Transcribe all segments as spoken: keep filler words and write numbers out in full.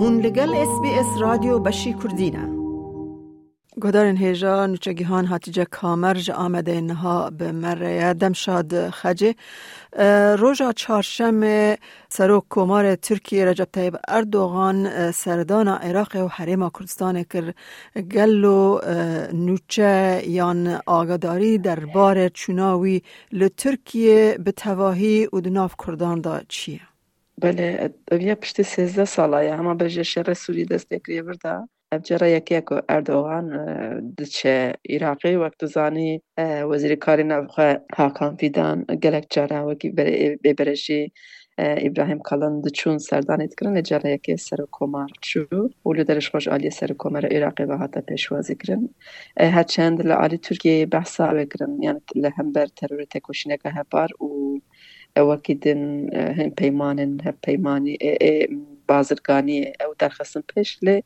Hûn li gel S B S Radyo Beşî Kurdî ne. Guhdarên hêja, nûçegihan Hatice Kamer ji Amedê niha bi me re ye. Dem şad Xecê. E, roja çarşemê Serok Komarê Tirkiyê Recep Tayyip Erdogan, e, serdana Iraqê û Herêma Kurdistanê kir. Gelo, e, nûçe yan agadarî derbarê çûna wî li Tirkiyê bi tevahî û di nav Kurdan de çi ye? Belê, ev ya piştî sêzdeh sala ye, hema bejê şerê Sûrî dest pê kiriye vir de. Ev cara yekê ye ku Erdogan, e, diçe Iraqê. Wek tu zanî, e, wezîrê karê navxwe Hakan Fidan gelek cara wekî bere-, bêbere jî, e, Îbrahîm Kalin diçûn serdanê dikirin, lê cara yekê Serokkomar çû û li derê ji xwe ji aliyê Serokkomara Iraqê ve hate pêşwazî kirin. E, her çend li alî Tirkiyeyê behsa wê kirin, yani li hember terorê tekoşîneke hepar û e, wekî din, e, hin peymanên hevpeymanî, ê, ê, bazirganiyê ew derxistin pêş, lê,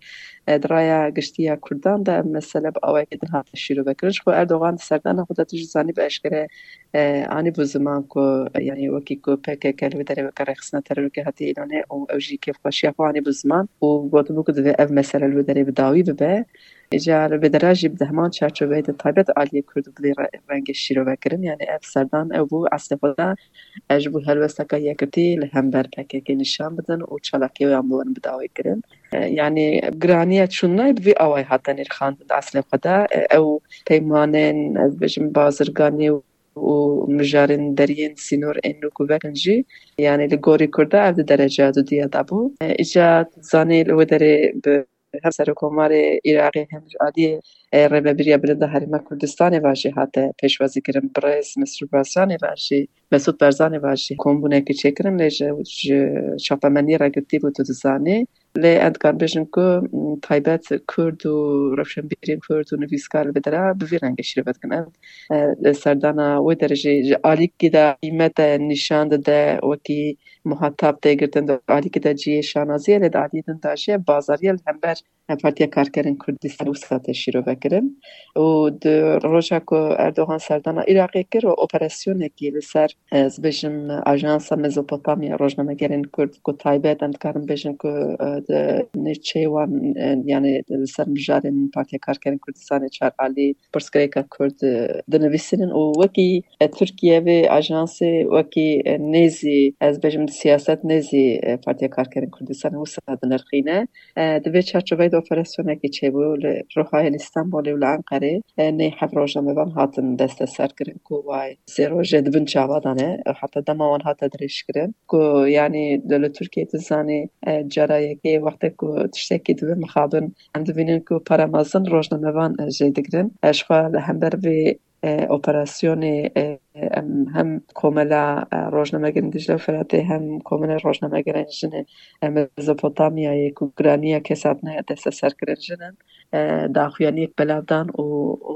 e, di raya giştî ya Kurdan de ev mesele bi awayekî din hate şîrovekirin. Ji xwe Erdogan di serdana xwe de tu jî zanî bi eşkere, e, anî bû ziman ku, e, yanî wekî ku P K K li wê derê weke rêxistina terorî hatiye îlanê û ew jî kêfxweşiya xwe anî bû ziman û gotibû ku divê ev mesele li wê derê bi dawî bibe. Îcar vê dera jî bi heman çarçoveyê de taybet aliyê Kurd bi vê re-, rengê şîrove kirin. Yani ev serdan ew bû eslê xwe de, e, ji bo helwesteka yekitî li hember P K K nîşan bidin û çalakiya wan bi wan bi dawî kirin. E, yani giraniya çûnayê bi vî awayî hate nirxandin di eslê xwe de. E, ew peymanên, ez bêjim, bazirganî û mijarên deriyên sînor ên nû ku vekin jî, yani li gorî Kurda ev di dereca dudiya de bû. E, îcar zanî li wê derê bi hem Serokkomarê Iraqê hem ji aliyê, e, Rêvebiriya Bilind a Herêma Kurdistanê ve jî hate pêşwazîkirin. Birêz Mesrûr Barzanî ve jî, Mesûd Barzanî ve jî kombûnekî çêkirin, lê ji, ji çapemeniyê re girtî bû, tu dizanî. Lê em dikarin bêjin ku, m, taybet Kurd û rewşenbîrên Kurd û nivîskar li vê dera bi vî rengê şîrove dikin. Ev, e, serdana wê derê jî ji alîkî de qîmete nîşan dide, wekî muhatab tê girtin, di alîkî de cihê şanaziyê, lê di aliyê din de jî bazariya li hember Partiya Karkerên Kurdistanê wisa tê şîrove kirin. Û di roja ku Erdogan serdana Iraqê kir û operasyonekî li ser, ez bêjim, Ajansa Mezopotamya Rojnamegerên Kurd, ku taybet em dikarin bêjin ku, e, di nêçeyê wan, e, yani li ser mijarên Partiya Karkerên Kurdistanê çar alî pirsgirêka Kurd, e, dinivîsînin û wekî, e, Tirkiye vê ajansê wekî, e, nêzî, ez bêjim, siyaset nêzî, e, Partiya Karkerên Kurdistanê wisa dinirxîne. E, di vê çarçoveyê de operasyonekî çêbû li Rihayê, li Stenbolê û li Enqerê, e, nê heft rojnamevan hatin desteserkirin ku way sê rojê di bin çava de ne, e, heta dema wan hate dirêjkirin. Ku, yanî, li, li Tirkiyê tu zanî, e, cara yekê wextê ku tiştekî dibe mixabin, em dibînin ku para mezin rojnamevan, e, jê digirin. E, ji xwe li hember vê, e, operasyonê, e, em hem Komela, e, Rojnamegerên Dicle û Firatê hem Komela Rojnamegerên Jinên, e, Mezopotamyayê ku giraniya kesatine desteserkirin jin in, e, daxuyaniyek belav dan û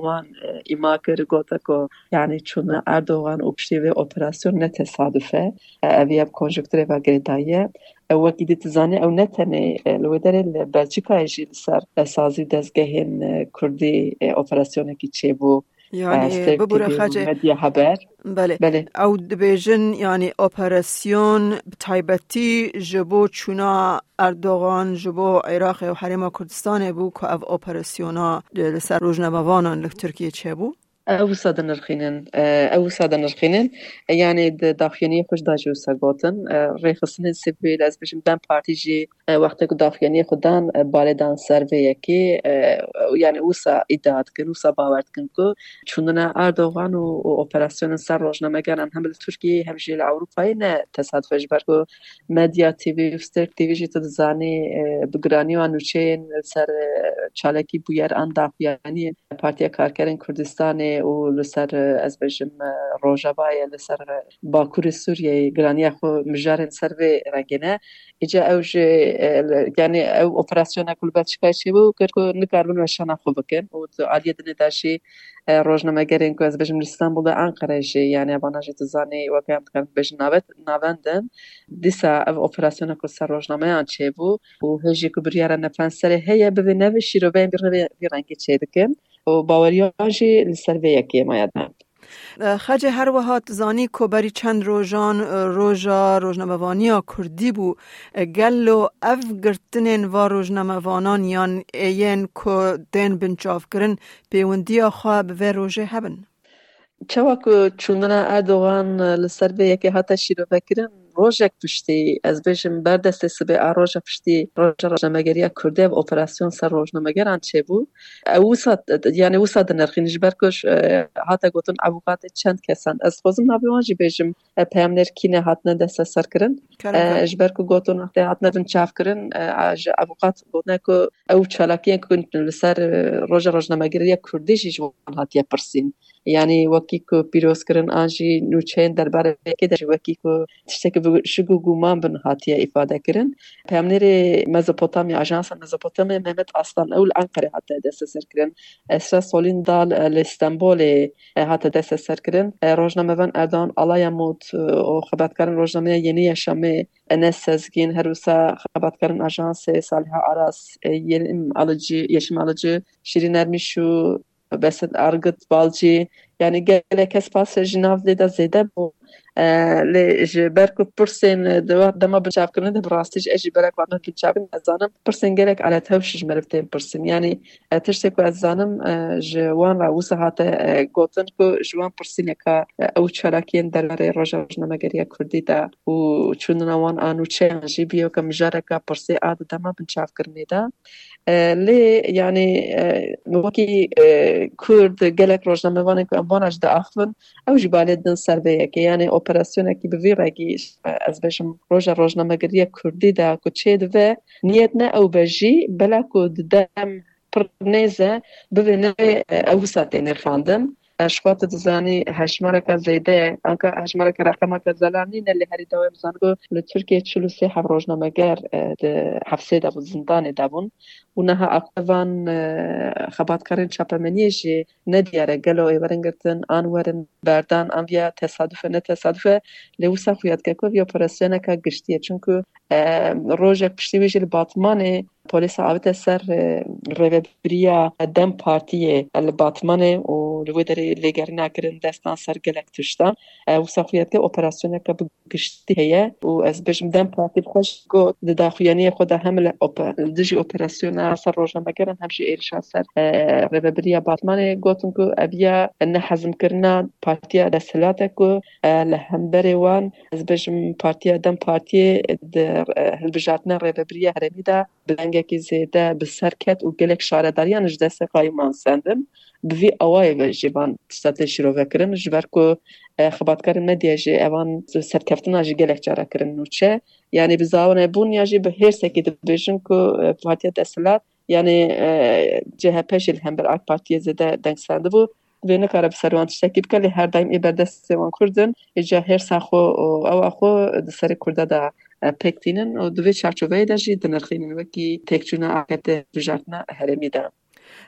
wan, e, îma kir, gote ku, yanî, çûna Erdogan û piştî vê operasyon ne tesaduf e. E, ev ya bi konjukturê ve girêdayî ye. E, wekî dî tu zanî, ew ne tenê, e, li wê derê li Belçîkayê jî li ser, e, sazî û dezgehên, e, Kurdî, e, operasyonekî çêbû. Yani, e, Stêrk bibûre T V û Xecê. Medya Haber. Belê. Belê. Ew dibêjin, yani, operasyon bi taybetî ji bo çûna Erdogan ji bo Iraqê û Herêma Kurdistanê bû ku ev operasyona, e, li ser rojnamevanan li Tirkiyê çêbû. Ew wisa dinirxînin, e, ew wisa dinirxînin. E, yani di daxuyaniyê xwe jî de jî wisa gotin. E, rêxistinên sivîl, ez bêjim DEM Partî jî, e, wextê ku daxuyaniyê xwe dan, e, balê dan ser vê yekê, e, yani wisa îdia dikin, wisa bawer dikin ku çûnina Erdogan û, û operasyonên ser rojnamegeran hem li Tirkiyeyê hem jî li Ewropayê ne tesaduf e, ji ber ku Medya T V û Stêrk T V jî tu dizanî, e, bi giranî wan nûçeyên li ser, e, çalakî bûyer an daxuyaniyên Partiya Karkerên Kurdistanê û li ser, e, ez bêjim, e, Rojavayê, li ser, e, Bakurê Sûriyeyê giraniya xwe mijarên ser vê rengê ne. Îca ew jî, e, li, yani ew operasyona ku li Belçîkayê çêbû kir ku nikaribin weşana xwe bikin û di aliyê dinê de jî, e, rojnamegerên ku ez bêjim li Stenbolê, Enqere jî, yani evana jî tu zanî weke em dikarin bêjin navet-, navend in. Dîsa ev operasyona ku ser rojnameyan çêbû û hê jî ku biryara nefenserê heye, bivê nevê şîroveyên bi rê-, vî rengî çêdikin û baweriyan jî li ser vê yekê maya de. Xecê, her wiha tu zanî ku berî çend rojan, e, roja rojnamevaniya kurdî bû. E, gelo ev girtinên va rojnamevanan yan ê yên ku tên binçavkirin pêwendiya xwe bi vê rojê hebin? Çawa ku çûndina Erdogan li ser vê yekê hate şîrovekirin, rojek piştî, ez bêjim, berdestê sibê a roja piştî, roja rojnamegeriya Kurdî ev operasyon ser rojnamegeran çêbû. Ew wisa, yani wisa dinirxîn, ji ber ku, e, hate gotin, avûkatê çend kesan. Ez xwezim navê wan jî bêjim, e, peyamnêr kî ne hatine desteserkirin. Kerem, e, kerem. Ji ber ku gotin, wextê hatine binçavkirin, e, a, ji avûkat gotine ku ew çalakiyên ku li ser, e, roja rojnamegeriya Kurdî jî ji wan hatiye pirsîn. Yani wekî ku pîrozkirin an jî nûçeyên derbarê vê yekê de jî wekî ku tiştekî bi şik û guman bin hatiye îfade kirin. Peyamnêrê Mezopotamya, Ajansa Mezopotamya Mehmet Aslan ew li Enqerê hate desteserkirin. Esra Solîn Dal, e, li Stenbolê, e, hate desteserkirin. E, rojnamevan Erdoğan Alayamut, e, û xebatkarên rojnameya Yeni Yaşamê, Enes Sezgin, her wisa xebatkarên ajansê Saliha Aras, e, Yelim Alıcı, Yeşim Alıcı, Şirin Ermişu, Besit Argit Balcî, yani gelek kes pasê ji nav lê de zêde bû. E, lê ji ber ku pirsên, e, di wa-, dema binçavkirinê de bi rastî jî ez jî belek wan binçavkirin, ez zanim pirsên gelek aletewş ji meriv tên pirsin. Yani, e, tiştê ku ez zanim, e, ji wan re wisa hate, e, gotin ku ji wan pirsîneka, e, ew çalakiyên derbarê roja rojnamegeriya Kurdî de û çûndina wan a nûçeyan jî bûye weke mijareka pirsê a di dema binçavkirinê de. E, lê, yani, e, wekî, e, Kurd, gelek rojnamevanên ku em wana jî diaxivin, ew jî balê didin ser vê yekê. Yani operasyonekî bi vî rengî, e, ez bêjim, roja rojnamegeriya Kurdî de ku çêdibe, niyet ne ew be jî, bela ku di dem pir nêz e, bibê nirê, e, ew wisa tê nirxandin. E, ji xwe tu dizanî hejmareka zêde ye. Anka hejmareka, reqemeke zelal nîne, lê herî dawê em dizanin ku li Tirkiyê çil û sê heb rojnameger, e, di hefsê de bû, zindanê de bûn. Û niha aqibê van, e, xebatkarên çapemeniyê jî ne diyar e, gelo ê werin girtin, an werin berdan, an viya tesaduf e, ne tesaduf e. Lê wisa xuya dike ku vî operasyoneka giştî ye. Çunku, e, rojek piştî wî jî li Batmanê polîsa avête ser, e, rêvebiriya DEM Partiyê li Batmanê û li wê derê lêgerîna kirin, destan ser gelek tiştan. E, wisa xuya dike operasyoneke bi giştî heye û ez bêjim DEM Partî bi xwe jî got di daxuyaniyê xwe de hem li ope-, li dijî operasyona ser rojnamegeran hem jî êrişa ser, e, rêvebiriya Batmanê gotin ku ev ya nehezmkirina partiya desthilat e ku, e, li hemberê wan, ez bêjim, partiya DEM Partiyê di, e, hilbijartina rêvebiriya herêmî de bi dengekî zêde bi ser ket û gelek şaredariyan ji destê qayûman sendin. Bi vî awayê ve jî van tişta tê şîrovekirin, ji ber ku, e, xebatkarên medyayê jî evan serkeftina jî gelek cara kirin nûçe. Yani bi zawanebûn ya jî bi hêrsekî dibêjin ku, e, partiya desthilat, yani, e, C H P jî li hember AK Partiyê zêde deng sendibû. Vê nikare bi ser wan tiştekî bike, lê her daîm ê berdestê wan Kurd in. Ê ca hêrsa xwe û ewa xwe di serê Kurda de, e, pêk tînin û di vê çarçoveyê de jî dinirxînin wekî têkçûna A K P bijartina herêmî de.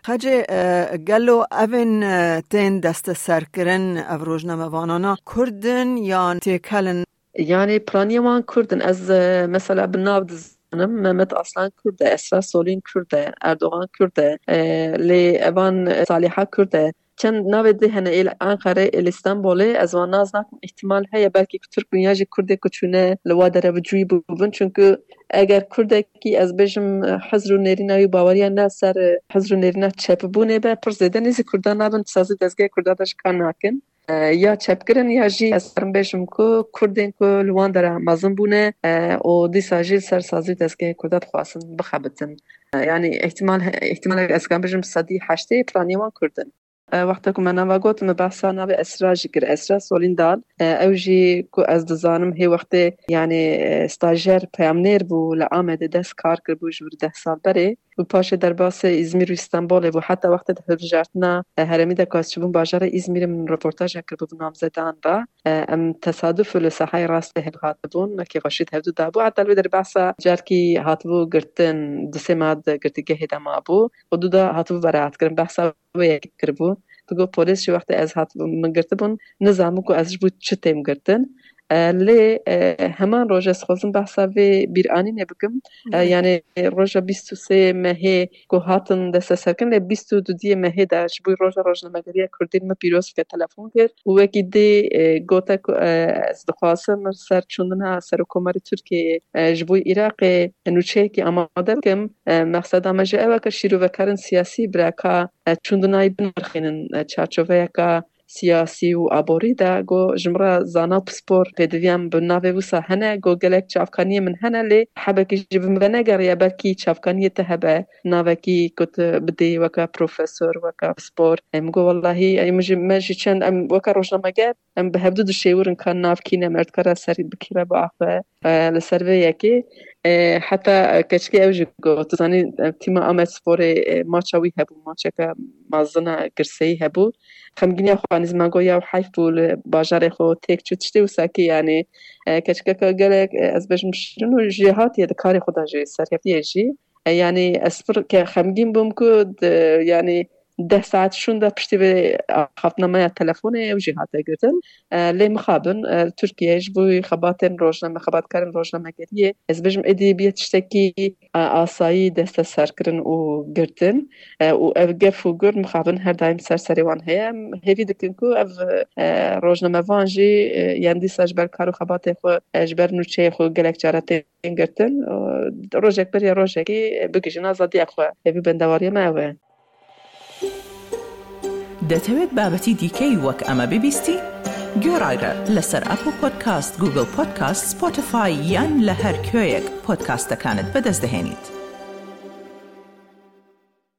Xecê, e, gelo evên, e, tên desteserkirin, ev rojnamevanana Kurd in yan têkel in? Yani piraniyê wan Kurd in. Ez, e, mesela bi nav dizanim, Mehmet Aslan Kurd e, Esra Solîn Kurd e, Erdogan Kurd e, e, lê evan, e, Saliha Kurd e. Çend navê dî hene ê li Enqerê, ê li Stenbolê, ez wan nas nakim, îhtimal heye belkî ku Tirk bin ya jî Kurdê ku çûne li wa dere bi cûyî bûbin. Çunku eger Kurdekî, ez bêjim, hizr û nêrîna wî, baweriya ne ser hizr û nêrîna çepbûnê be, pir zêde nêzî Kurdan nabin, sazî dezgehê Kurda de jî kar nakin. E, ya çepkirin ya jî ez karim bêjim ku Kurdên ku li wan dera mezin bûne, e, û dîsa jî li ser sazî dezgehê Kurda dixwazin bixebitin. E, yani îhtimal, îhtimalek ez karim bêjim sedî heştê piraniyê wan Kurd in. E, wexta ku me nava got, me behsa navê Esra jî kir. Esra Solîn Dal, e, ew jî ku ez dizanim hê wextê, yani, e, stajer peyamnêr bû, li Amedê dest kar kiribû ji wir deh sal berê. Û paşê derbasê Îzmîr û Îstenbolê bû. Heta wextê di hilbijartina, e, herêmî de ku ez çûbûm bajarê Îzmîrê, min reportajek kiribû bi namzedan re. E, em tesaduf li sahayê rastê hevhatibûn, me kêfxweşî di hevdû dabû. Heta li wê derê behsa carkî hatibû girtin, du sê meh di girtîgehê de mabû. Û du da hatibû beraat kirin. Behsa wê yekê kiribû. Digot, polîs jî wextê ez hatibûm, min girtibûn, nizanibû ku ez ji bo çi têm girtin. E, lê e, heman roj ez xwazim behsa vê bîranînê bikim. E, Evet. Yani roja bîst û sê mehê ku hatin desteserkirin, lê bîst û dudiyê mehê de ji bo roja rojnamegeriya Kurdî min pîroz bike telefon kir û wekî dî e, gote ku e, ez dixwazim ser çûndina Serokkomarê Tirkiyeyê e, ji bo Iraqê nûçeyekî amade bikim. E, mexseda me jî ew e ku şîrovekarên siyasî bira ka e, çûndinayî binirxînin e, çarçoveyeka siyasî û aborî de, got, ji min re zana pispor pêdiviyan bi navê wisa hene, got, gelek çavkaniyê min hene, lê hebekî ji bin venegeriye, belkî çavkaniyê te hebe, navekî ku tu bidê weke profesor, weke pispor. Em got, wellahî, em jî, me jî çend, em weke rojnameger, em bi hevdu dişêwirin ka nav kî ne, me dikare ser bi kî re biaxive, e, li ser vê yekê. E, heta, e, keçikê ew jî got, tu zanî, e, tîma Amed Sporê, e, maça wî hebû, maçeke mezin e, girseyî hebû. Xemgîniya xwe anî ziman got, ya heyf bû, li bajarê xwe têk çû, tiştê wisa kî, yanî, e, keçikeke gelek, e, ez bêjim şirin û jêhatî ye, di karê xwe de jî serkeftiye jî. E, yanî ez pir ke xemgîn bûm ku di, yanî deh saet şûnde piştî vê axaftina me ya telefonê ew jî hate girtin. E, lê mixabin, e, Tirkiye ji bo xebatên rojname, xebatkarên rojnamegeriyê, ez bêjim êdî bûye tiştekî, e, asayî desteserkirin û girtin. E, û ev gef û gur mixabin her daîm ser serê wan heye. Em hêvî dikin ku ev, e, rojnamevan jî, e, yên dîsa ji ber kar û xebatê xwe, e, ji ber nûçeyê xwe gelek care tên girtin. E, rojek beriya rojekî, e, bigihîjin azadiya xwe. Hêvî bendewariya me ew e. دەتەوێت بابەتی دیکەی وەک ئەمە ببیستی؟ گوێڕایرە لەسەر ئەپڵ پۆدکاست، گوگڵ پۆدکاست، سپۆتیفای یان لە هەر کوێیەک پۆدکاستەکانت بەدەست دەهێنیت.